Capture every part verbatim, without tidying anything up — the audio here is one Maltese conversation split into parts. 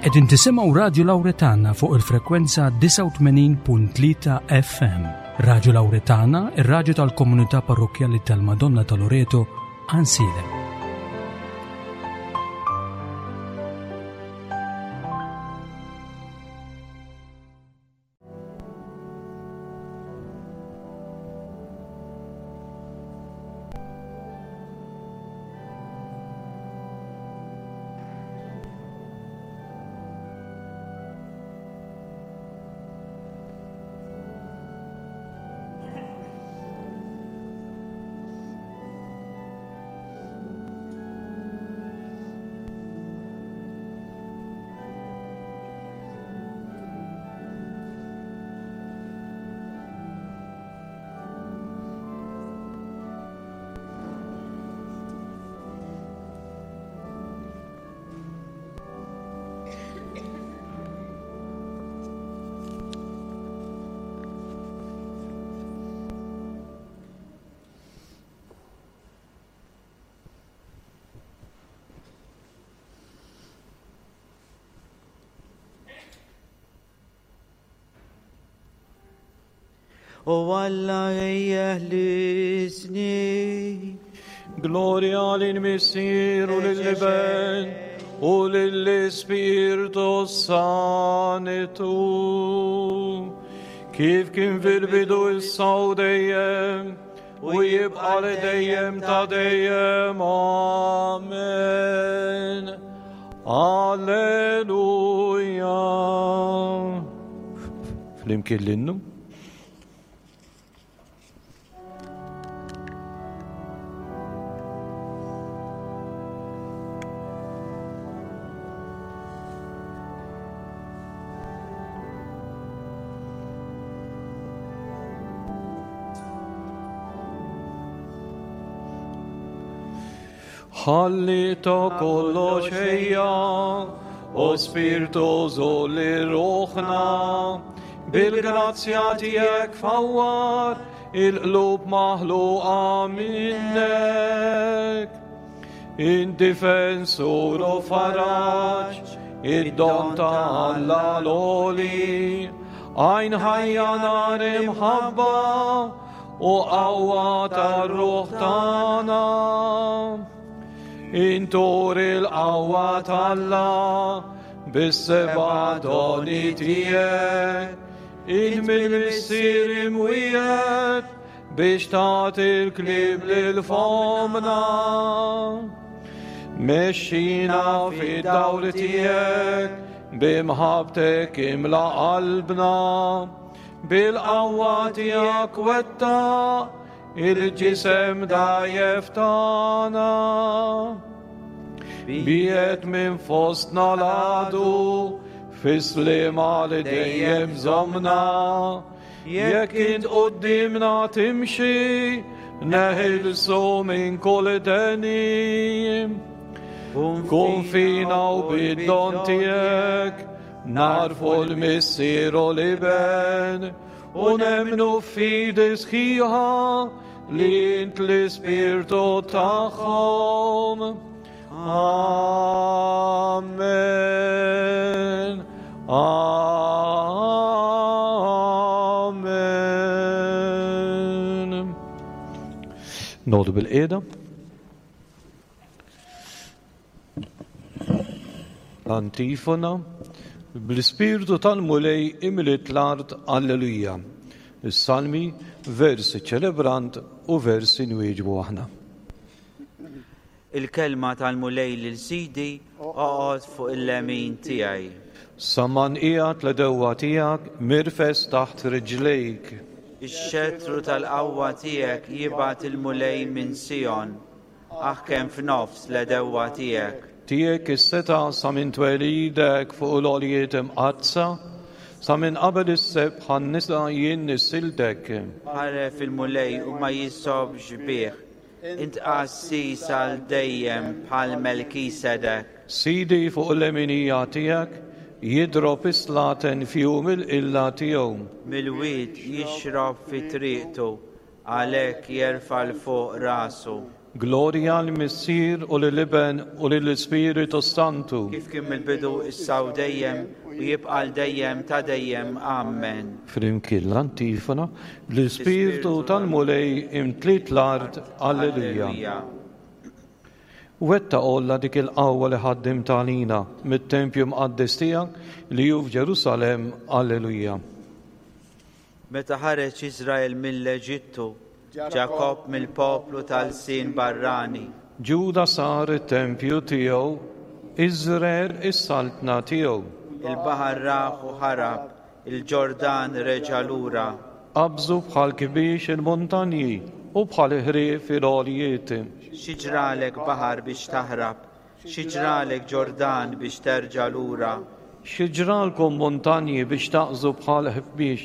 Qegħdin tisimgħu Radju Lawretana fuq il-frekwenza disgħa u tmenin punt tlieta F M. Radju Lawretana, ir-radju tal-komunità parrokkjali tal-Madonna ta' Loreto, Għajnsielem. O Alla jeħlisni. Gloria lil-Missier u lil-Iben u lill-Ispirtu Santu. Kif kien fil-bidu issa u dejjem u jibqa' li dejjem ta' dejjem. Amen. Alleluja. Flimkien l-innu. Ħalli ta' kollox ejja, o Spirtu żolli ruħna, bil-grazzja tiegħek fawwar il-qlub maħluqa minnek. Indifensur u faraġ, id-don ta' Alla l-għoli, għajn ħajja nar imħabba u qawwa tar-ruħ tagħna. Intur il-qawwa t'Alla bis-seba' doni tiegħek, int mill-Missier imwiegħed biex tagħti l-kliem lil fomna. Mexxina fid-dawl tiegħek b'imħabbtek imla qalbna, bil-qawwa tiegħek wettaq il-ġisem dajjef tagħna. Biet minn fostna l-għadu, fis-sliema li dejjem żomna. Jekk int quddiemna timxi, neħilsu minn kull deni. Kun fina u bid-don tiegħek, narfu l-Missier u l-Iben, u nemmnu f'fidi sħiħa li int l-Ispirtu tagħhom. Amen. Amen. Nodu bil-qiegħda. Antifona. Bl-Ispirtu tal-Mulej imliet l-art, alleluja. Is-salmi, versi ċelebrant u versi nwieġbu aħna. Il-kelma tal-Mulej lil Sidi, oqgħod fuq il-lemin tiegħi. Sa ma nqiegħed l-għedewwa tiegħek mirfes taħt riġlejk. Ix-xettru tal-qawwa tiegħek jibgħat il-Mulej minn Sion, aħkem f'nofs l-għedewwa tiegħek. Tiegħek is-seta' sa minn twelidek fuq l-għoljiet imqaddsa, sa minn qabel is-sebħ għan-nisa jien nissiltek. Ħaref il-Mulej u ma jisobx bih, int qassis għal dejjem bħal Melkisedek. Sidi fuq l-leminija tiegħek jidrob is-slaten f'jum il-qilla tiegħu. Mill-wied jixrob fi triqtu, għalhekk jerfa' l fuq rasu. Glorja l-Missier u lill-Iben u lill-Ispiritu Santu. Kif kien mill-bidu, issa u dejjem, u jibqa' għal dejjem ta' dejjem. Amen. Flimkien l-antifona, l-Ispirtu tal-Mulej imtliet l-art. Alleluja. Wetta olla dik il-qawwa li ħaddim tagħlina mit-tempju mqaddes tiegħek li hu f'Ġerusalemm. Alleluja. Meta ħareġ Iżrael mill-Eġittu, Ġakobb mill-poplu tal-sin barrani. Ġuda sar it-tempju tiegħu, Iżrael is-saltna tiegħu. Il-baħar raħ u ħarab, il-Ġordan reġa' lura. Qabżu bħal kbiex il-muntanji u bħal ħrief il-għoljiet. Xi ġralek baħar biex taħrab, xi ġralek Ġordan biex terġa' lura. Xi ġralkom muntanji biex taqżu bħal ħbiex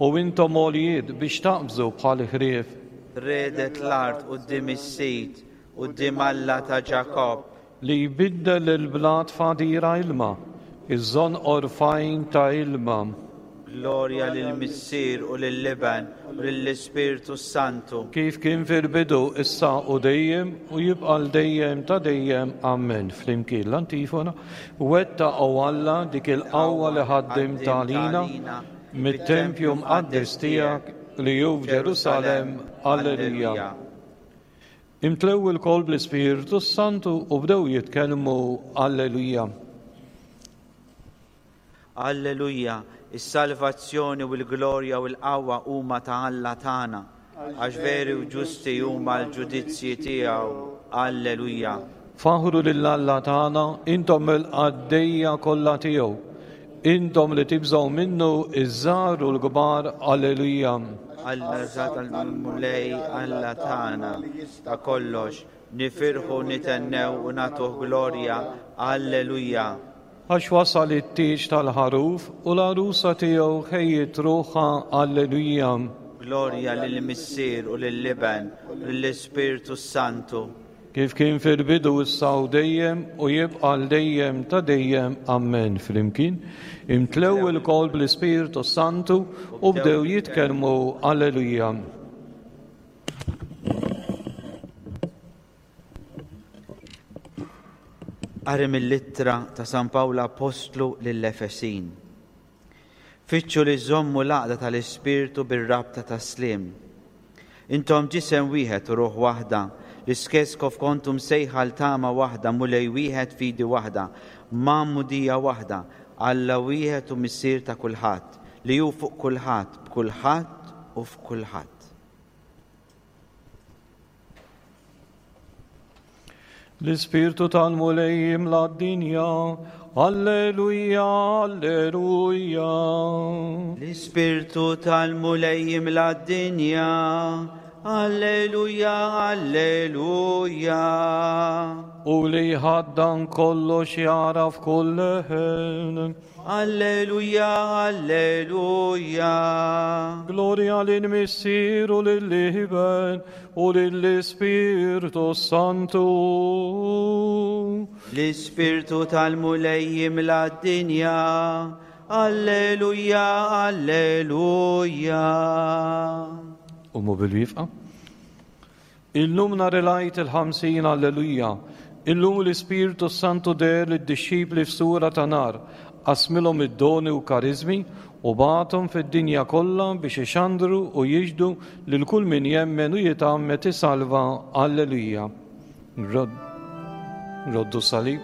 u intom għoljiet biex taqbżu bħal ħrief. Redet l-art quddiem is-Sid, quddiem Alla ta' Ġakobb. Li jbiddel il-blat f'għadira ilma, iż-żonqor f'għajn ta' ilma. Glorja lill-Missier u lill-Iben u lill-Ispirtu Santu. Kif kien fil-bidu, issa u dejjem, u jibqa' l dejjem ta' dejjem. Amen. Flimkien l-antifona, wetta o Alla dik il-qawwa li ħaddim tagħlina mit-tempju mqaddes tiegħek li hu f'Ġerusalemm. Alleluja. Imtlew ilkoll bl-Ispirtu Santu u bdew jitkellmu. Alleluja. Alleluja, is-salvazzjoni u l-glorja u l-qawwa huma ta' Alla tagħna, għax veri u ġusti huma l-ġudizzji tiegħu. Alleluja. Faħru lil Alla tagħna, intom il-qaddejja kollha tiegħu, intom li tibżgħu minnu iż-żgħar u l-kbar. Alleluja. Alla tal-Mulej, Alla tagħna ta' kollox, nifirħu, nitennew u nagħtuh glorja. Alleluja. Għax wasal it-tieġ tal-ħaruf u l-għarusa tiegħu ħejjiet ruħha. Alleluja. Glorja lill-Missier u lill-Iben u lill-Ispirtu Santu. Kif kien fil-bidu, issa u dejjem, u jibqa' l dejjem ta' dejjem. Amen. Flimkien imtlew ilkoll bl-Ispirtu Santu u bdew jitkellmu. Alleluja. Qari mill-ittra ta' San Pawl Apostlu lill-Efesin. Fittxu li żommu l-għaqda tal-Ispirtu bir-rabta tas-sliem. Intom ġisem wieħed u ruħ waħda, l-istess kif kontum sejħa l-tama waħda, Mulej wieħed, fidi waħda, magħmudija waħda, Alla wieħed u Missier ta' kulħadd, li hu fuq kulħadd, b'kulħadd u f'kulħadd. L-Ispirtu tal-Mulej jimla d-dinja. Alleluja, alleluja. L-Ispirtu tal-Mulej jimla d-dinja. Alleluja, alleluja. U li ħaddan kollox jaraf kull leħen. Alleluja, alleluja. Glorja lill-Missier u lill-Iben u lill-Ispirtu Santu. L-Ispirtu tal-Mulej jimla d-dinja. Alleluja, alleluja. Umu bil-wifqa. Illum nhar il-Għid il-ħamsin. Alleluja. Illum l-Ispirtu Santu deher lid-dixxipli f'sura ta' nar, qasmilhom id-doni u karizmi u bagħathom fid-dinja kollha biex ixandru u jixhdu lil kull min jemmen u jitgħammed isalva. Alleluja. Roddu salib.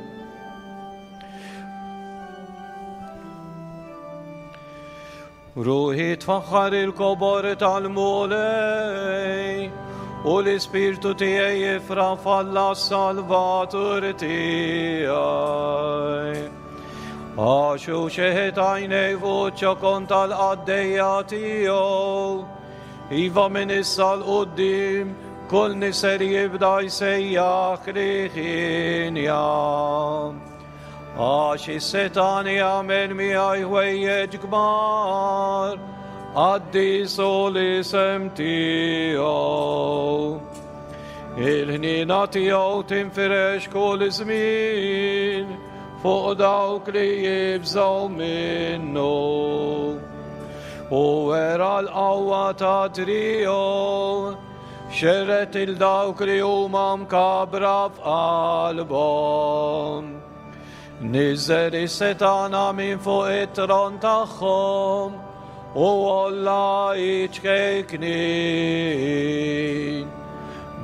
Ruħi tfaħħar il-kobor tal-Mulej, u l-Ispirtu tiegħi jifraħ f'Alla s-Salvatur tiegħi. Għax hu xeħet għajnej fuq ċokon tal-qaddejja tiegħu, iva minn issa 'l quddiem kull niser jibda jsejjaħ li ħinja. Għax is-setan jagħmel miegħi ħwejjeġ kbar, qaddis hu l-isem tiegħu. Il-ħniena tiegħu tinfirex kull żmien fuq dawk li jibżgħu minnu. U wera l-qawwa ta' triegħu, Xerred il dawk li huma mkabra f'qalbhom. Niżel is-setana minn fuq it-tron tagħhom u olla iċkejknin.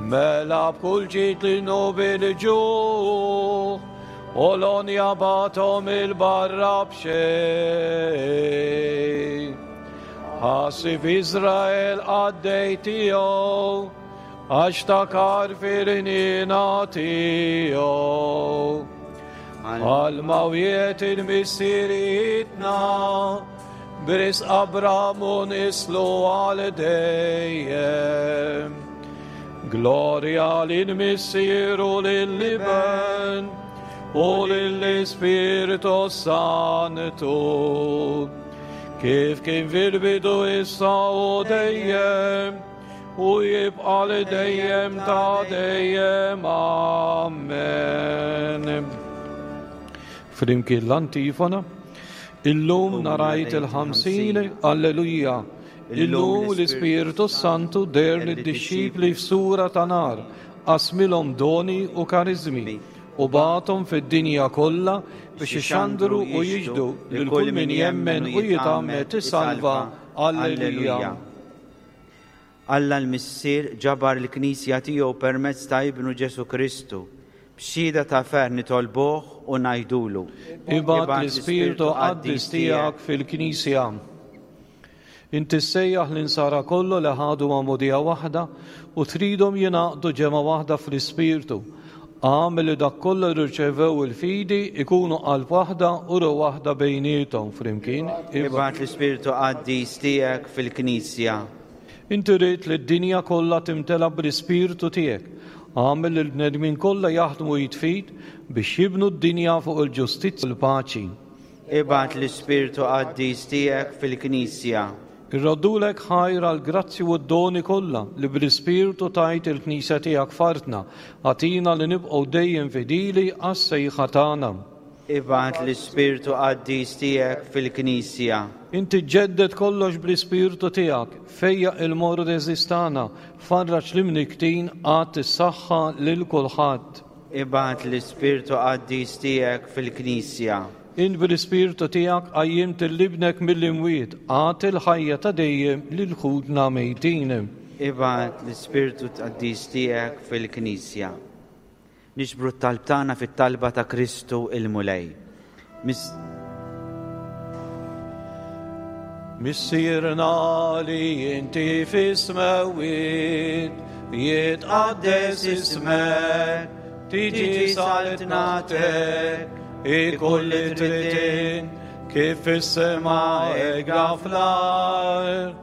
Mela b'kull ġid li nubi l-ġuħ u l-onja batom il-barra b'xejn. Ħassib Izrael għaddej tiegħu, għax takar fil-ħniena tiegħu. Għal mawiet il-missirietna, b'risq Abram u nislu għal dejjem. Gloria lil-Missier u lil-Iben u lill-Ispirtu Santu, kif kien fil-bidu issa u dejjem u jibqa' li dejjem ta' dejjem. Amen. Flimkien l-antifona, illum narajt il-ħamsin, alleluja. Illum l-Ispirtu Santu der lid-dixxipli f'sura ta' nar, qasmilhom doni u karizmi u bagħathom fid-dinja kollha biex ixandru u jiġdu lil kull min jemmen u jitgħammed isalva. Alleluja. Alla l-Missier ġabar il-Knisja tiegħu permezz ta' Ibnu Ġesu Kristu. B'xhieda ta' ferħ nitolbuh u ngħidulu. Ibgħat l-Ispirtu Qaddis tiegħek fil-Knisja. Inti ssejjaħ l-insara kollu li ħadu magħmudija waħda u tridhom jingħaqdu ġemgħa waħda fl-Ispirtu. Għamel li dak kollu li rċevew il-fidi ikunu qalb waħda u ruħ waħda bejniethom flimkien. Ibgħat l-Ispirtu Qaddis tiegħek fil-Knisja. Inti rrid li d-dinja kollha timtela bl-Ispirtu tiegħek. Għamel li l-bnedmin kollha jaħdmu jitfid biex jibnu d-dinja fuq il-ġustizzja u l-paċi. Ibgħat l-Ispirtu Qaddis tiegħek fil-Knisja. Irroddulek ħajr għal grazzi u d-doni kollha li bl-Ispirtu tajt il-Knisja tiegħek f'artna, agħtina li nibqgħu dejjem fidili għas-sejħa tagħna. Ibgħat l-Ispirtu Qaddis tiegħek fil-Knisja. Inti ġġedded kollox bl-Ispirtu tiegħek, fejjaq il-morda tagħna, farraġ l-imniktin, agħti s-saħħa lil kulħadd. Ibgħat l-Ispirtu Qaddis tiegħek fil-Knisja. Int bil-Ispirtu tiegħek qajjimt il-ibnek mill-imwiet, agħti l-ħajja ta' dejjem lil ħutna mejtin. Ibgħat l-Ispirtu Qaddis tiegħek fil-Knisja. Niġbru t-talb tagħna fit-talba ta' Kristu il-Mulej. Mis- Missierna li inti fis-smewwiet, jitqaddes ismek, tiġi saltnatek, ikun li trid kif fis-sema hekk fl-art.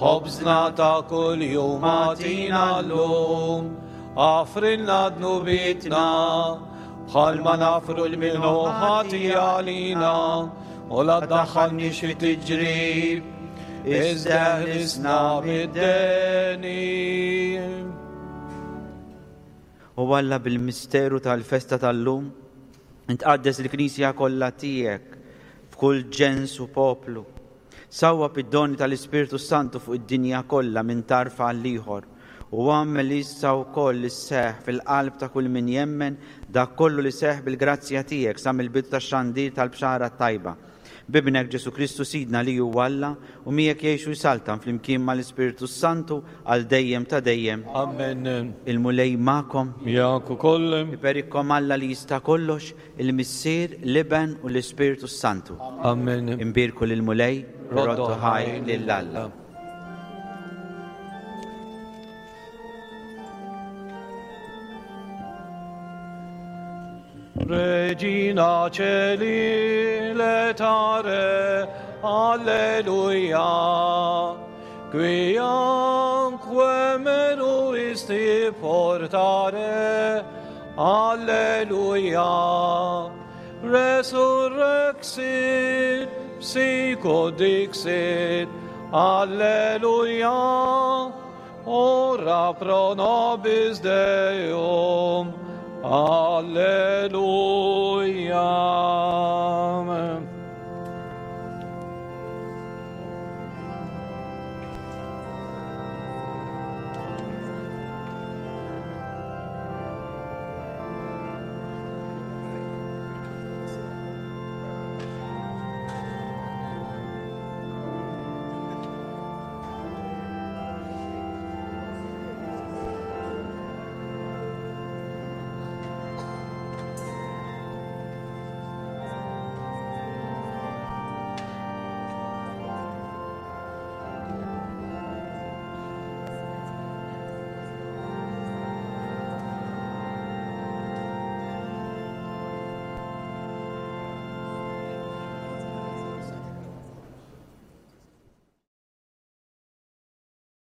Ħobżna ta' kuljum agħtina llum, aghfrilna dnubietna bħalma nafru l min hu ħati għalina, u la tdaħħalniex fi tiġrib, iżda ħlisna mid-deni. U Alla bil-misteru tal-festa tal-lum, intqaddes il-Knisja kollha tiegħek f'kull ġens u poplu. Sawwab id-doni tal-Ispirtu Santu fuq id-dinja kollha minn tarf għal ieħor, u għamel issa wkoll li sseħħ fil-qalb ta' kull min jemmen dak kollu li seħħ bil-grazzja tiegħek sa mill-bidu tax-xandir tal-bxara tajba. Bibnek Ġesu Kristu Sidna li huwa Alla u miegħek jgħixu jsaltan flimkien mal-Ispirtu Santu għal dejjem ta' dejjem. Amen. Il-Mulej magħkom. Miegħek ukoll. Iberikkom Alla li jista' kollox, il-Missier, l-Iben u l-Ispirtu Santu. Amen. Imbierku lill-Mulej, roddu ħaj lil Alla. Regina Caeli laetare, alleluia, quianque meruisti portare, alleluia, resurrexit, sicut dixit, alleluia, ora pro nobis Deum, alleluia. Amen.